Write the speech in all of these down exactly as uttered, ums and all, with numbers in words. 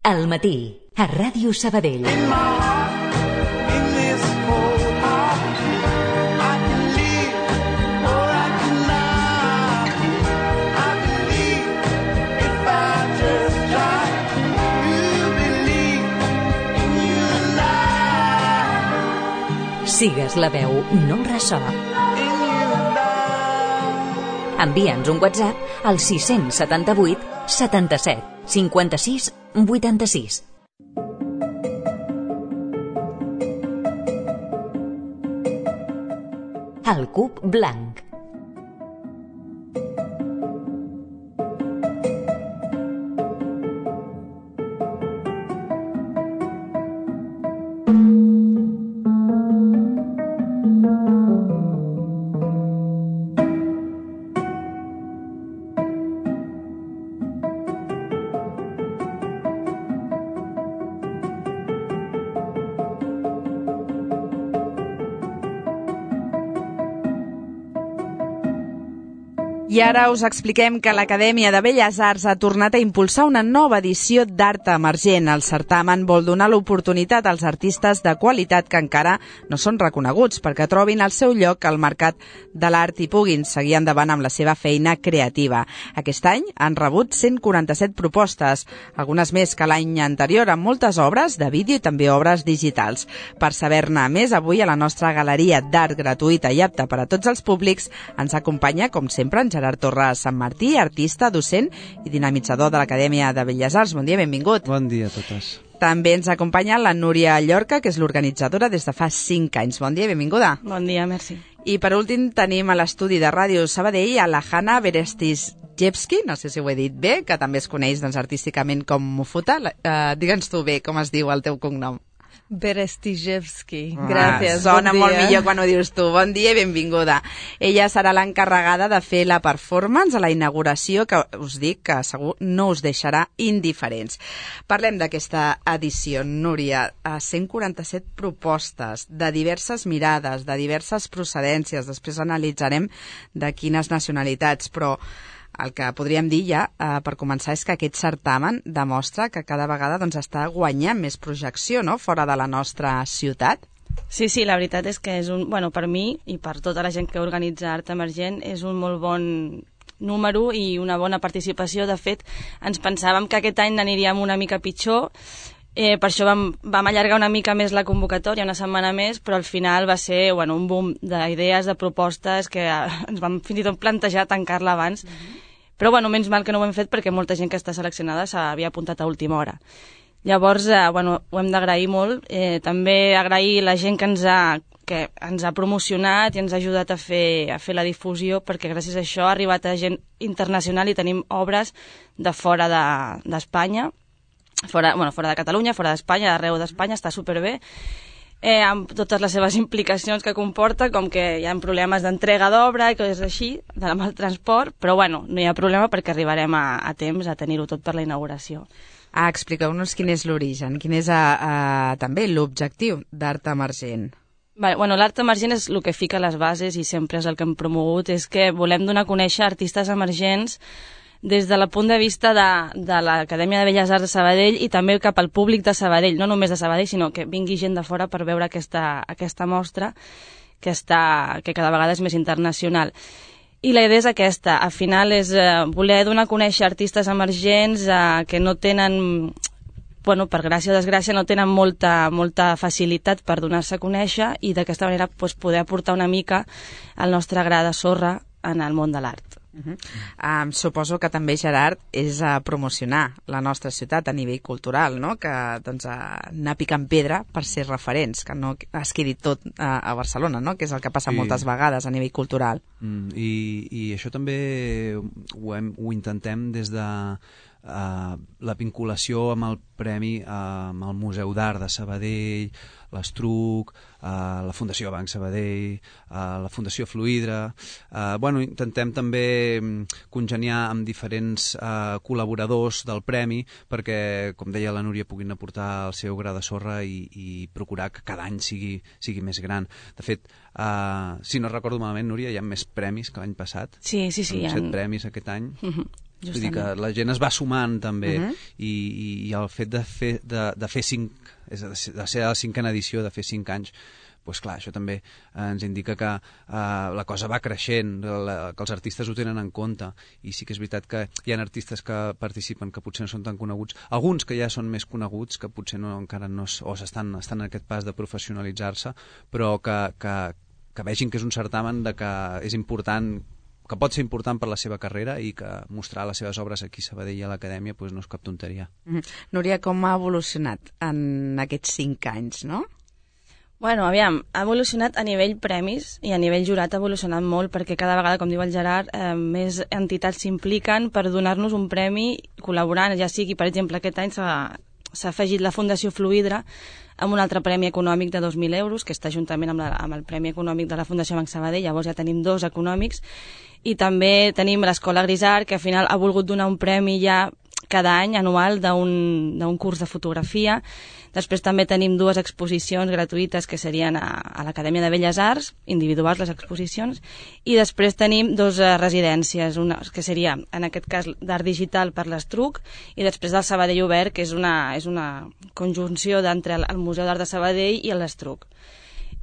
Al matí, a Ràdio Sabadell. Sigues la veu, no el ressò. Envia'ns un WhatsApp al sis set vuit setanta-set cinquanta-sis vuitanta-sis. El cub blanc. I ara us expliquem que l'Acadèmia de Belles Arts ha tornat a impulsar una nova edició d'Art Emergent. El certamen vol donar l'oportunitat als artistes de qualitat que encara no són reconeguts perquè trobin el seu lloc al mercat de l'art i puguin seguir endavant amb la seva feina creativa. Aquest any han rebut cent quaranta-set propostes, algunes més que l'any anterior, amb moltes obres de vídeo i també obres digitals. Per saber-ne més, avui a la nostra galeria d'art gratuïta i apta per a tots els públics ens acompanya, com sempre, en Gerard Torres Sant Martí, artista, docent i dinamitzador de l'Acadèmia de Belles Arts. Bon dia, benvingut. Bon dia a totes. També ens acompanya la Núria Llorca, que és l'organitzadora des de fa cinc anys. Bon dia, benvinguda. Bon dia, merci. I per últim tenim a l'estudi de Ràdio Sabadell a la Hanna Berestizjevski, no sé si ho he dit bé, que també es coneix doncs, artísticament com Mufuta. Uh, Digue'ns tu bé com es diu el teu cognom. Berestizjevski, ah, gràcies. Sona bon molt dia. millor quan ho dius tu. Bon dia i benvinguda. Ella serà l'encarregada de fer la performance a la inauguració, que us dic que segur no us deixarà indiferents. Parlem d'aquesta edició, Núria. cent quaranta-set propostes de diverses mirades, de diverses procedències. Després analitzarem de quines nacionalitats, però el que podríem dir ja, eh, per començar, és que aquest certamen demostra que cada vegada doncs, està guanyant més projecció, no?, fora de la nostra ciutat. Sí, sí, la veritat és que és un, bueno, per mi i per tota la gent que organitza Art Emergent és un molt bon número i una bona participació. De fet, ens pensàvem que aquest any aniríem una mica pitjor, eh, per això vam, vam allargar una mica més la convocatòria, una setmana més, però al final va ser bueno, un boom d'idees, de propostes, que ens vam fins i tot plantejar tancar-la abans. Mm-hmm. Però, bueno, menys mal que no ho hem fet perquè molta gent que està seleccionada s'havia apuntat a última hora. Llavors, eh, bueno, ho hem d'agrair molt. Eh, també agrair la gent que ens ha, que ens ha promocionat i ens ha ajudat a fer, a fer la difusió, perquè gràcies a això ha arribat a gent internacional i tenim obres de fora d'Espanya, de, fora, bueno, fora de Catalunya, fora d'Espanya, d'arreu d'Espanya, està superbé. Eh, amb totes les seves implicacions que comporta, com que hi ha problemes d'entrega d'obra i coses així, amb el transport, però bueno, no hi ha problema perquè arribarem a, a temps a tenir-ho tot per la inauguració. Ah, expliqueu-nos quin és l'origen, quin és a, a, també l'objectiu d'Art Emergent. Bé, bueno, l'Art Emergent és el que fica les bases i sempre és el que hem promogut, és que volem donar a conèixer artistes emergents des del punt de vista de, de l'Acadèmia de Belles Arts de Sabadell i també cap al públic de Sabadell, no només de Sabadell, sinó que vingui gent de fora per veure aquesta, aquesta mostra que, està, que cada vegada és més internacional. I la idea és aquesta, al final és eh, voler donar a conèixer artistes emergents eh, que no tenen, bueno, per gràcia o desgràcia, no tenen molta, molta facilitat per donar-se a conèixer i d'aquesta manera pues, poder aportar una mica el nostre gra de sorra en el món de l'art. Uh-huh. Um, suposo que també, Gerard, és a uh, promocionar la nostra ciutat a nivell cultural, no? Que doncs, uh, anar picant pedra per ser referents, que no es quedi tot uh, a Barcelona, no? Que és el que passa sí. moltes vegades a nivell cultural. Mm, i, I això també ho, hem, ho intentem des de uh, la vinculació amb el premi uh, amb el Museu d'Art de Sabadell, l'Estruc, uh, la Fundació Banc Sabadell, uh, la Fundació Fluidra. Uh, bueno, intentem també congeniar amb diferents uh, col·laboradors del premi perquè, com deia la Núria, puguin aportar el seu gra de sorra i, i procurar que cada any sigui, sigui més gran. De fet, uh, si no recordo malament, Núria, hi ha més premis que l'any passat. Sí, sí, sí. Hi ha set han... premis aquest any. Uh-huh. Vull dir que la gent es va sumant també, uh -huh. i, i el fet de fer, de, de fer cinc, és de ser, de ser la cinquena edició, de fer cinc anys, doncs clar, això també ens indica que uh, la cosa va creixent, la, que els artistes ho tenen en compte, i sí que és veritat que hi ha artistes que participen que potser no són tan coneguts, alguns que ja són més coneguts, que potser no, encara no, o estan, estan en aquest pas de professionalitzar-se, però que, que, que vegin que és un certamen de que és important, que pot ser important per la seva carrera, i que mostrar les seves obres aquí a Sabadell i a l'Acadèmia doncs no és cap tonteria. Mm. Núria, com ha evolucionat en aquests cinc anys, no? Bueno, aviam, ha evolucionat a nivell premis i a nivell jurat ha evolucionat molt, perquè cada vegada, com diu el Gerard, eh, més entitats s'impliquen per donar-nos un premi col·laborant, ja sigui, per exemple, aquest any s'ha s'ha afegit la Fundació Fluidra amb un altre premi econòmic de dos mil euros, que està juntament amb, la, amb el Premi Econòmic de la Fundació Banc Sabadell, llavors ja tenim dos econòmics, i també tenim l'Escola Grisart, que al final ha volgut donar un premi ja cada any anual d'un curs de fotografia. Després també tenim dues exposicions gratuïtes que serien a, a l'Acadèmia de Belles Arts, individuals les exposicions, i després tenim dues uh, residències, una que seria, en aquest cas, d'art digital per l'Estruc, i després del Sabadell Obert, que és una, és una conjunció d'entre el, el Museu d'Art de Sabadell i l'Estruc.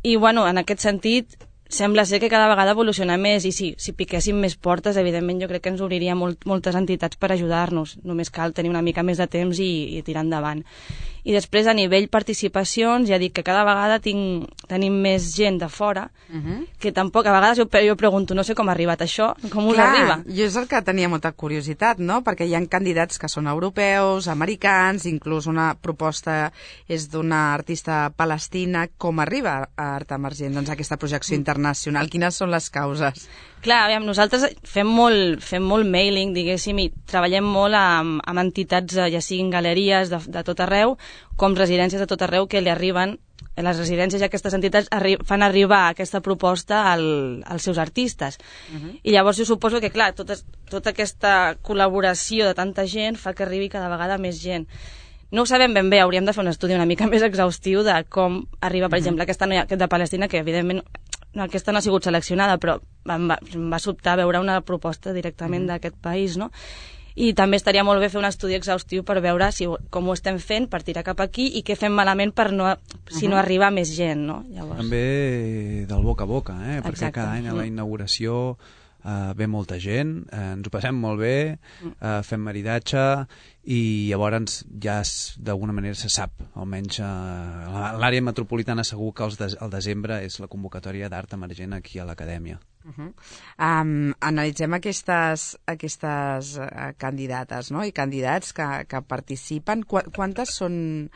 I, bueno, en aquest sentit, sembla ser que cada vegada evoluciona més, i sí, si piquéssim més portes, evidentment jo crec que ens obriria molt, moltes entitats per ajudar-nos. Només cal tenir una mica més de temps i, i tirar endavant. I després, a nivell participacions, ja dic que cada vegada tinc, tenim més gent de fora, uh -huh. que tampoc, a vegades jo, jo pregunto, no sé com ha arribat això, com us Clar, arriba? Jo és el que tenia molta curiositat, no? Perquè hi ha candidats que són europeus, americans, inclús una proposta és d'una artista palestina. Com arriba a Art Emergent, doncs, aquesta projecció internacional? Quines són les causes? Clar, aviam, nosaltres fem molt, fem molt mailing, diguéssim, i treballem molt amb, amb entitats, ja siguin galeries de, de tot arreu, com residències de tot arreu, que li arriben, les residències i aquestes entitats arri fan arribar aquesta proposta al, als seus artistes. Uh -huh. I llavors jo suposo que, clar, tota, tota aquesta col·laboració de tanta gent fa que arribi cada vegada més gent. No ho sabem ben bé, hauríem de fer un estudi una mica més exhaustiu de com arriba, per uh -huh. exemple, aquesta noia de Palestina, que evidentment no, aquesta no ha sigut seleccionada, però em va, em va sobtar veure una proposta directament uh -huh. d'aquest país, no? I també estaria molt bé fer un estudi exhaustiu per veure si, com ho estem fent per tirar cap aquí i què fem malament per no, si uh -huh. no arriba més gent, no? Llavors... També del boca a boca, eh? Perquè Exacte. cada any a la inauguració uh, ve molta gent, uh, ens ho passem molt bé, uh, fem maridatge, i llavors ja d'alguna manera se sap, almenys uh, l'àrea metropolitana segur que el, de, el desembre és la convocatòria d'Art Emergent aquí a l'Acadèmia. Uh -huh. um, analitzem aquestes, aquestes uh, candidates, no? I candidats que, que participen. Qu quantes són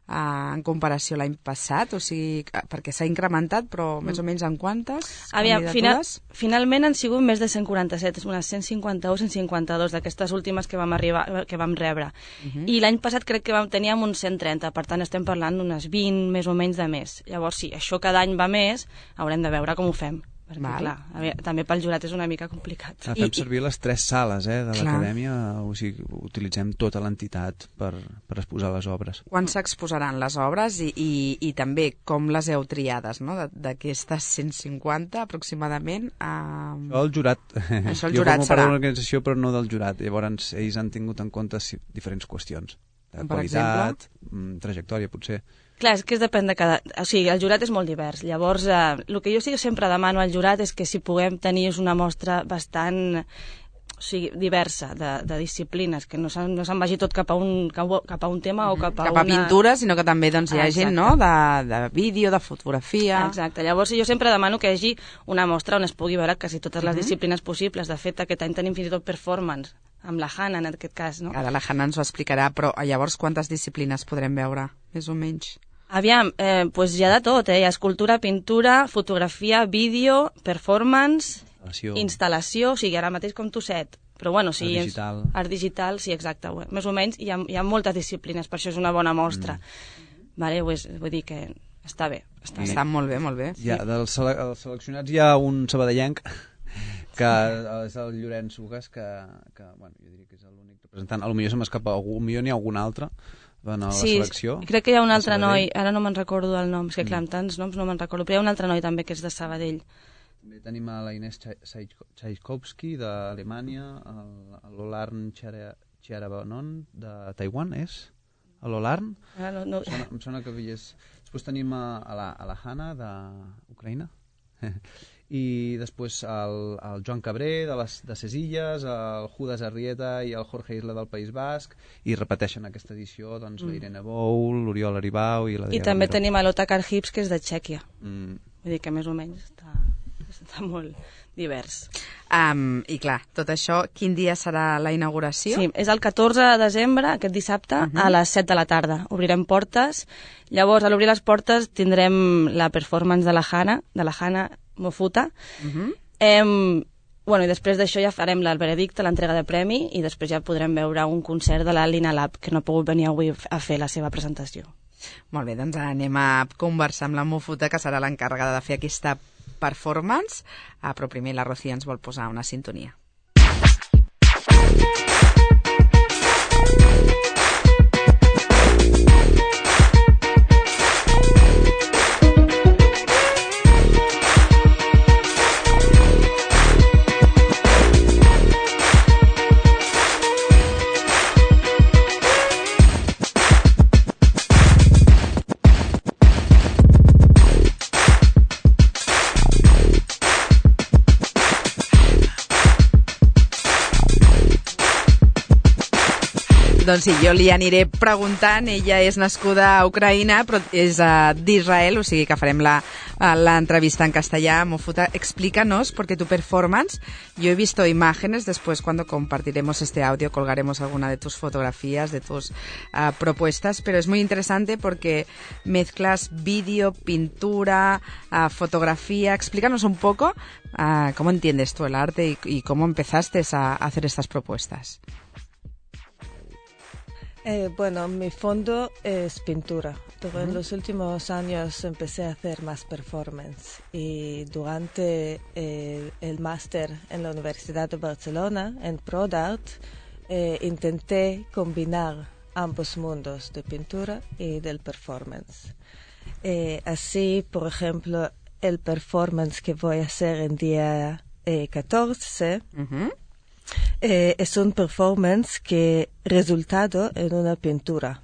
uh, en comparació a l'any passat? O sigui, perquè s'ha incrementat, però més o menys en quantes Aviam, final, finalment han sigut més de cent quaranta-set, unes cent cinquanta-u, cent cinquanta-dos d'aquestes últimes que vam, arribar, que vam rebre. Uh -huh. I l'any passat crec que vam, teníem uns cent trenta, per tant estem parlant d'unes vint més o menys de més. Llavors, sí, això cada any va més, haurem de veure com ho fem. Perquè, Val. clar, a veure, també pel jurat és una mica complicat. Ah, fem I, servir les tres sales eh, de l'Acadèmia, o sigui, utilitzem tota l'entitat per, per exposar les obres. Quan s'exposaran les obres i, i, i també com les heu triades, no? D'aquestes cent cinquanta aproximadament? A... Això el jurat. Això el jo jurat formo serà. part de l'organització, però no del jurat. Llavors, ells han tingut en compte diferents qüestions. De per qualitat, exemple? trajectòria, potser. Clar, és que es depèn de cada... O sigui, el jurat és molt divers. Llavors, eh, el que jo sí sempre demano al jurat és que si puguem tenir una mostra bastant, o sigui, diversa de, de disciplines, que no se'n no se'n vagi tot cap a un, cap a un tema o cap a, cap una... a pintura, sinó que també doncs, hi ha Exacte. gent, no?, de, de vídeo, de fotografia... Exacte. Llavors, jo sempre demano que hi hagi una mostra on es pugui veure quasi totes les Uh-huh. disciplines possibles. De fet, aquest any tenim fins i tot performance, amb la Hanna, en aquest cas, no? Ara la Hanna ens ho explicarà, però llavors quantes disciplines podrem veure, més o menys? Aviam, eh, pues hi ha de tot, eh? Hi ha escultura, pintura, fotografia, vídeo, performance, Instal·lació. instal·lació, o sigui, ara mateix com tu set. Però bueno, sí, Art digital. És, art digital, sí, exacte. Més o menys hi ha, hi ha moltes disciplines, per això és una bona mostra. Mm. Vale, pues, vull dir que està bé. Està, I... bé. està molt bé, molt bé. Ja, dels sele els seleccionats hi ha un sabadellenc que és el Llorenç Ugas, que, que bueno, jo diria que és l'únic representant. A lo millor se m'escapa algú, millor n'hi ha algun altre en la sí, selecció. Crec que hi ha un altre noi, ara no me'n recordo el nom, és que clar, amb tants noms no me'n recordo, però hi ha un altre noi també que és de Sabadell, També tenim a la Inés Tchaikovsky d'Alemanya, l'Olarn Chiarabanon de Taiwan, és? L'Olarn? Ah, no, no. Em, sona, em sona que havies... Després tenim a, a, la, a la Hanna d'Ucraïna i després el, el Joan Cabré de, les, de ses Illes, el Judas Arrieta i el Jorge Isla del País Basc, i repeteixen aquesta edició doncs, mm. la Irene Bou, l'Oriol Aribau i la I també Romero. Tenim a l'Otakar Hips, que és de Txèquia. Mm. Vull dir que més o menys està, està molt divers. Um, I clar, tot això, quin dia serà la inauguració? Sí, és el catorze de desembre, aquest dissabte, uh -huh. a les set de la tarda. Obrirem portes. Llavors, a l'obrir les portes, tindrem la performance de la Hana, de la Hana Mofuta. Uh -huh. Em, bueno, i després d'això ja farem el veredicte, l'entrega de premi, i després ja podrem veure un concert de la Lina Lab, que no ha pogut venir avui a fer la seva presentació. Molt bé, doncs anem a conversar amb la Mofuta, que serà l'encarregada de fer aquesta performance, ah, però primer la Rocío ens vol posar una sintonia. Doncs sí, jo li aniré preguntant. Ella és nascuda a Ucraïna, però és uh, d'Israel, o sigui que farem la, uh, la entrevista en castellà. Mofuta, explícanos, porque tu performance, yo he visto imágenes, después cuando compartiremos este audio colgaremos alguna de tus fotografías, de tus uh, propuestas, pero es muy interesante porque mezclas vídeo, pintura, uh, fotografía. Explícanos un poco uh, cómo entiendes tú el arte y, y cómo empezaste a, a hacer estas propuestas. Eh, bueno, mi fondo es pintura. Pero en los últimos años empecé a hacer más performance y durante eh, el máster en la Universidad de Barcelona, en ProDart, eh, intenté combinar ambos mundos de pintura y del performance. Eh, así, por ejemplo, el performance que voy a hacer en día eh, catorce... Uh-huh. Eh, es un performance que resultado en una pintura.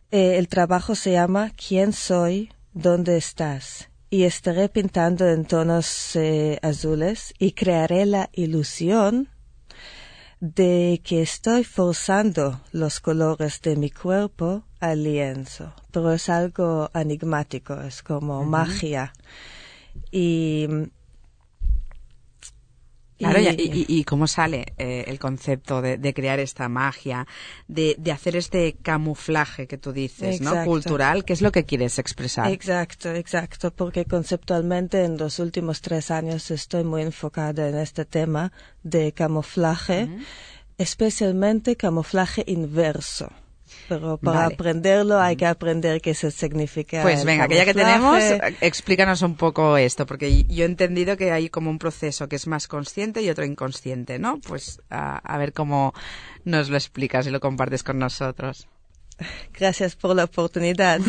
Eh, el trabajo se llama ¿Quién soy? ¿Dónde estás? Y estaré pintando en tonos eh, azules y crearé la ilusión de que estoy forzando los colores de mi cuerpo al lienzo. Pero es algo enigmático, es como uh-huh. magia. Y... Claro, y, y, y cómo sale eh, el concepto de, de crear esta magia, de, de hacer este camuflaje que tú dices, exacto. ¿no? Cultural, ¿qué es lo que quieres expresar? Exacto, exacto, porque conceptualmente en los últimos tres años estoy muy enfocada en este tema de camuflaje, uh-huh. especialmente camuflaje inverso. Pero para vale. aprenderlo hay que aprender qué se significa. Pues venga, que ya que tenemos, explícanos un poco esto, porque yo he entendido que hay como un proceso que es más consciente y otro inconsciente, ¿no? Pues a, a ver cómo nos lo explicas y lo compartes con nosotros. Gracias por la oportunidad.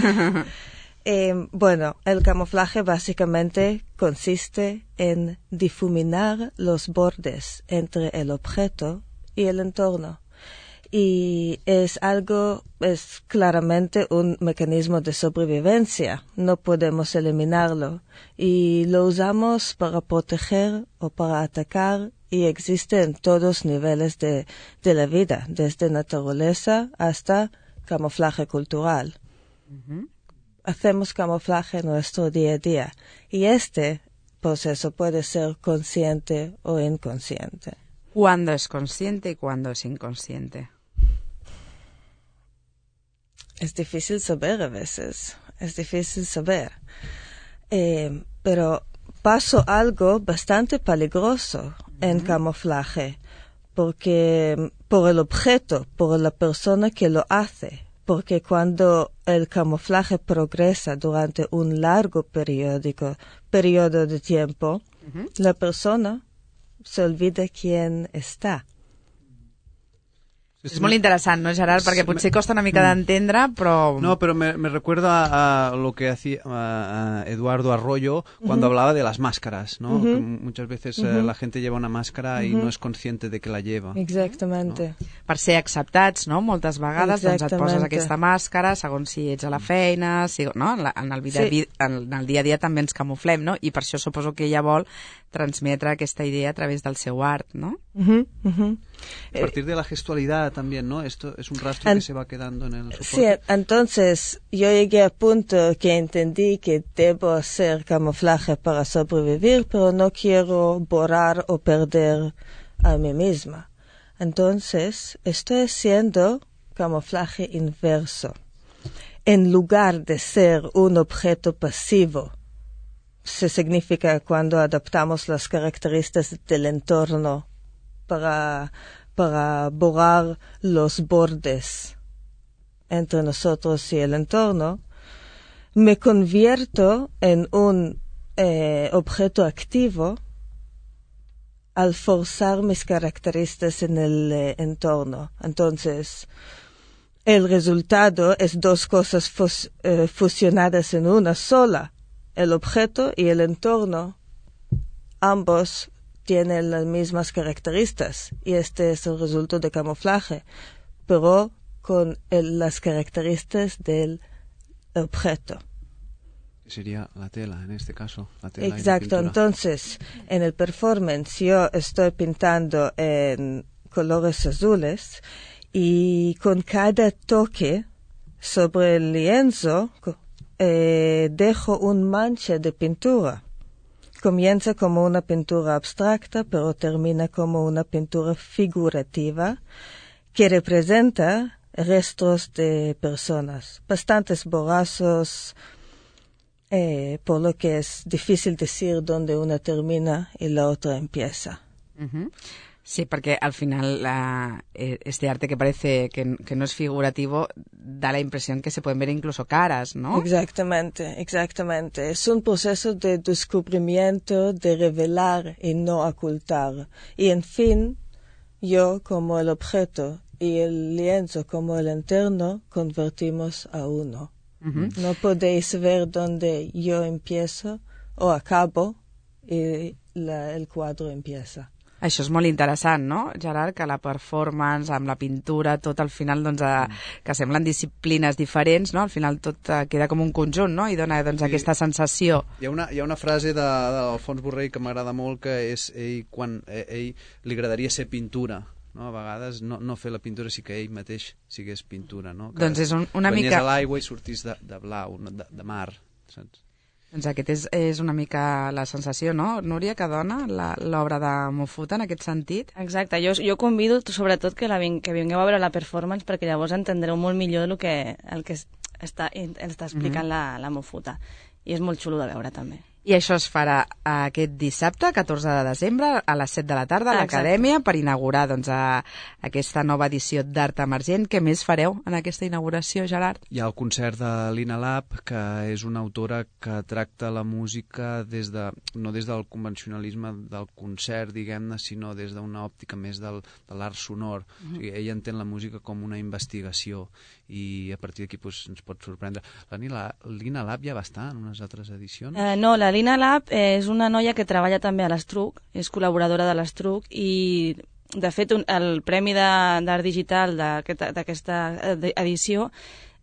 eh, bueno, el camuflaje básicamente consiste en difuminar los bordes entre el objeto y el entorno. Y es algo, es claramente un mecanismo de sobrevivencia. No podemos eliminarlo. Y lo usamos para proteger o para atacar y existe en todos niveles de, de la vida, desde naturaleza hasta camuflaje cultural. Uh-huh. Hacemos camuflaje en nuestro día a día. Y este proceso puede ser consciente o inconsciente. ¿Cuándo es consciente y cuándo es inconsciente? Es difícil saber a veces, es difícil saber. Eh, pero pasó algo bastante peligroso uh-huh. en camuflaje, porque por el objeto, por la persona que lo hace, porque cuando el camuflaje progresa durante un largo periódico, periodo de tiempo, uh-huh. la persona se olvida quién está. És molt interessant, ¿no, Gerard? Perquè potser costa una mica d'entendre, però... No, pero me, me recuerda a lo que hacía a, a Eduardo Arroyo cuando uh-huh. hablaba de las máscaras, ¿no? Uh-huh. Que muchas veces uh-huh. eh, la gente lleva una máscara uh-huh. y no es consciente de que la lleva. Exactamente. No? Per ser acceptats, no? Moltes vegades doncs et poses aquesta màscara, segons si ets a la feina, si, no? En, la, en, el vida, sí. en el dia a dia també ens camuflem, no? I per això suposo que ella vol transmetre aquesta idea a través del seu art, ¿no? Uh-huh. Uh-huh. A partir de la gestualidad también, ¿no? Esto es un rastro que se va quedando en el soporte. Sí, entonces yo llegué a punto que entendí que debo hacer camuflaje para sobrevivir, pero no quiero borrar o perder a mí misma. Entonces estoy haciendo camuflaje inverso. En lugar de ser un objeto pasivo, se significa cuando adaptamos las características del entorno para, para borrar los bordes entre nosotros y el entorno, me convierto en un eh, objeto activo al forzar mis características en el eh, entorno. Entonces, el resultado es dos cosas fus, eh, fusionadas en una sola. El objeto y el entorno, ambos tienen las mismas características y este es el resultado de camuflaje, pero con el, las características del objeto. Sería la tela, en este caso, la tela. Exacto, y la entonces en el performance yo estoy pintando en colores azules y con cada toque sobre el lienzo Eh, dejo un mancha de pintura. Comienza como una pintura abstracta, pero termina como una pintura figurativa que representa restos de personas, bastantes borrazos, eh, por lo que es difícil decir dónde una termina y la otra empieza. Uh-huh. Sí, porque al final la, este arte que parece que, que no es figurativo da la impresión que se pueden ver incluso caras, ¿no? Exactamente, exactamente. Es un proceso de descubrimiento, de revelar y no ocultar. Y en fin, yo como el objeto y el lienzo como el entorno convertimos a uno. Uh-huh. No podéis ver dónde yo empiezo o acabo y la, el cuadro empieza. Això és molt interessant, no, Gerard? Que la performance, amb la pintura, tot al final, doncs, a, que semblen disciplines diferents, no? Al final tot uh, queda com un conjunt, no? I dona, doncs, sí. aquesta sensació. Hi ha una, hi ha una frase de, d'Alfons Borrell que m'agrada molt, que és ell, quan eh, ell li agradaria ser pintura, no? A vegades no, no fer la pintura, sí que ell mateix sigués pintura, no? Que doncs és un, una venies mica... a l'aigua i sortís de, de blau, de, de mar, saps? Doncs aquest és, és una mica la sensació, no, Núria, que dona l'obra de Mofuta en aquest sentit? Exacte, jo, jo convido sobretot que, la, que vingueu a veure la performance perquè llavors entendreu molt millor el que, el que està, està explicant mm-hmm. la, la Mofuta. I és molt xulo de veure també. I això es farà aquest dissabte, catorze de desembre, a les set de la tarda a l'Acadèmia, per inaugurar doncs, a, aquesta nova edició d'Art Emergent. Què més fareu en aquesta inauguració, Gerard? Hi ha el concert de Lina Lab, que és una autora que tracta la música des de, no des del convencionalisme del concert, diguem-ne, sinó des d'una òptica més del, de l'art sonor. Mm-hmm. O sigui, ella entén la música com una investigació i a partir d'aquí pues, ens pot sorprendre. La Lina, Lina Lab ja va estar en unes altres edicions? Eh, no, la Lina Lab és una noia que treballa també a l'Estruc, és col·laboradora de l'Estruc i, de fet, un, el Premi d'Art Digital d'aquesta edició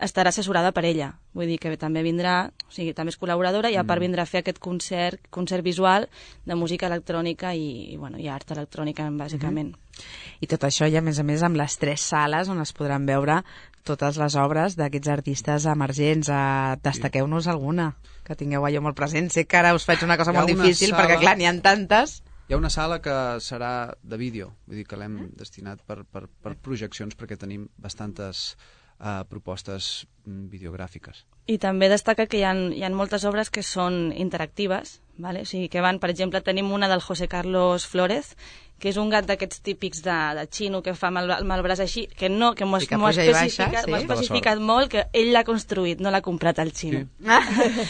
estarà assessorada per ella. Vull dir que també vindrà, o sigui, també és col·laboradora i a part vindrà a fer aquest concert, concert visual de música electrònica i, i, bueno, i art electrònica, bàsicament. Mm-hmm. I tot això, i a més a més, amb les tres sales on es podran veure totes les obres d'aquests artistes emergents. Uh, destaqueu-nos alguna que tingueu allò molt present. Sé que ara us faig una cosa molt difícil sala... perquè, clar, n'hi ha tantes. Hi ha una sala que serà de vídeo, vull dir que l'hem destinat per, per, per projeccions perquè tenim bastantes uh, propostes videogràfiques. I també destaca que hi ha, hi ha moltes obres que són interactives, vale? O sigui, que van, per exemple, tenim una del José Carlos Flórez, que és un gat d'aquests típics de, de xino que fa amb el, amb el braç així, que no, que m'ho ha especificat, sí? especificat molt, que ell l'ha construït, no l'ha comprat al xino. Sí.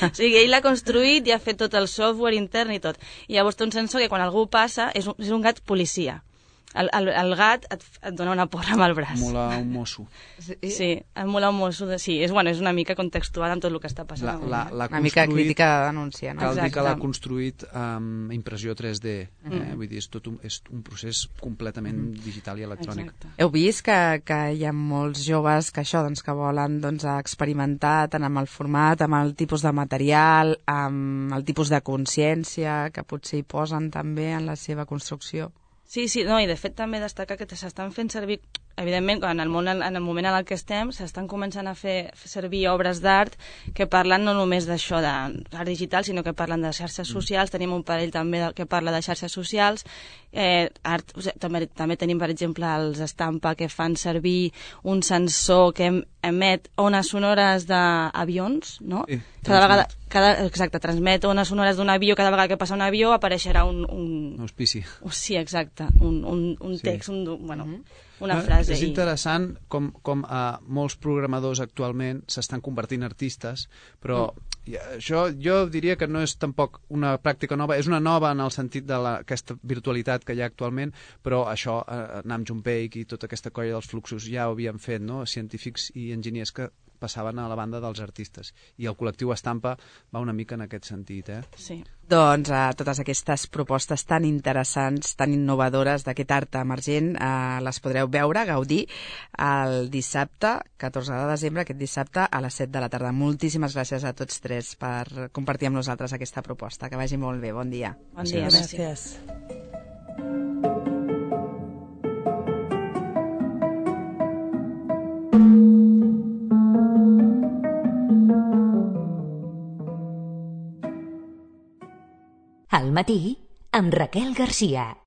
O sigui, ell l'ha construït i ha fet tot el software intern i tot. I llavors té un sensor que quan algú passa és un, és un gat policia. el, el, el gat et, et dona una porra amb el braç. Mola un mosso. Sí, et mola un mosso. De... Sí, és, bueno, és una mica contextual amb tot el que està passant. La, la, la una mica crítica de denúncia, no? Cal dir que Exacte. l'ha construït amb impressió tres D. Eh? Mm. Vull dir, és tot un, és un procés completament mm. digital i electrònic. Exacte. Heu vist que, que hi ha molts joves que això, doncs, que volen doncs, experimentar tant amb el format, amb el tipus de material, amb el tipus de consciència que potser hi posen també en la seva construcció? Sí, sí, no, i de fet també destacar que s'estan fent servir, evidentment, en el, món, en el moment en el que estem, s'estan començant a fer, fer servir obres d'art que parlen no només d'això d'art digital, sinó que parlen de xarxes socials, tenim un parell també de, que parla de xarxes socials, eh, art, o sigui, també, també tenim, per exemple, els Estampa, que fan servir un sensor que em, emet ones sonores d'avions, no? Sí, cada vegada, cada, exacte, transmet ones sonores d'un avió, cada vegada que passa un avió apareixerà un... un Auspici. sí, exacte, un, un, un text, sí. un, bueno, mm-hmm. una No, frase. és interessant com, com uh, molts programadors actualment s'estan convertint en artistes, però mm. això jo diria que no és tampoc una pràctica nova, és una nova en el sentit de la, aquesta virtualitat que hi ha actualment, però això, uh, Nam June Paik i tota aquesta colla dels fluxos ja ho havien fet, no? Científics i enginyers que passaven a la banda dels artistes. I el col·lectiu Estampa va una mica en aquest sentit, eh? Sí. Doncs eh, totes aquestes propostes tan interessants, tan innovadores d'aquest art emergent, eh, les podreu veure, gaudir, el dissabte, catorze de desembre, aquest dissabte, a les set de la tarda. Moltíssimes gràcies a tots tres per compartir amb nosaltres aquesta proposta. Que vagi molt bé. Bon dia. Bon dia. Gràcies. Al matí, amb Raquel Garcia.